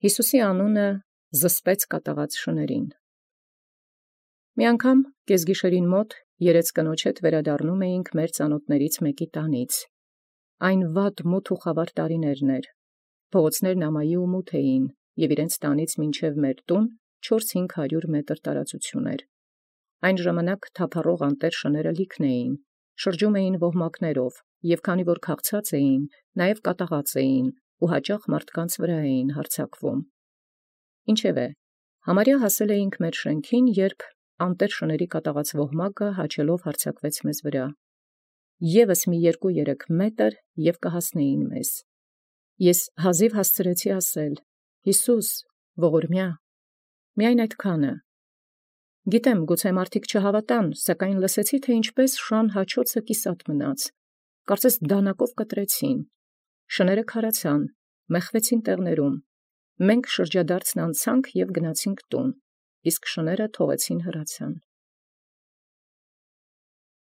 Յիսուսի անունը զսպեց կատաղած շնորհին։ Մի անգամ կեսգիշերին երեց կնոջ հետ վերադառնում էինք ծանաւթաց մեկի տանից։ Այն մութ և խավար տարիներն. փողոցքն ամայի և մութ էին, և իրանց տանից մինչև տուն 400-500 մետր տարածություն էր։ Այն ժամանակ թափառող անտառ շնորհք լիքն էին, շրջում էին ոհմակաւք, և քանի որ քաղցած էին, նաև կատաղած էին, և յաճախ էին հարձակվում մարդկանց։ Ինչևէ, համարյա հասեալ էինք շենքին, երբ անտառ շնորհի կատաղած ոհմակը հաճելով հարձակվեց մեզ վրա. ևս մի 2-3 մետր, և կհասնէին մեզ։ Ես հազիվ հասցրեցի ասել. «Յիսուս, ողորմյա», միայն այդքանը։ Գիտեմ, գուցե մարդիկ չհաւատան, սակայն լսեցի, թէ իբրև շան հաչոցը կիսատ մնաց, կարծես դանակով կտրեցին. շնորհք քարացան, մեխվեցին տեղիսն, մենք շրջադարձն անցանք և գնացինք տուն, իսկ շնորհք թողեցին հեռացան։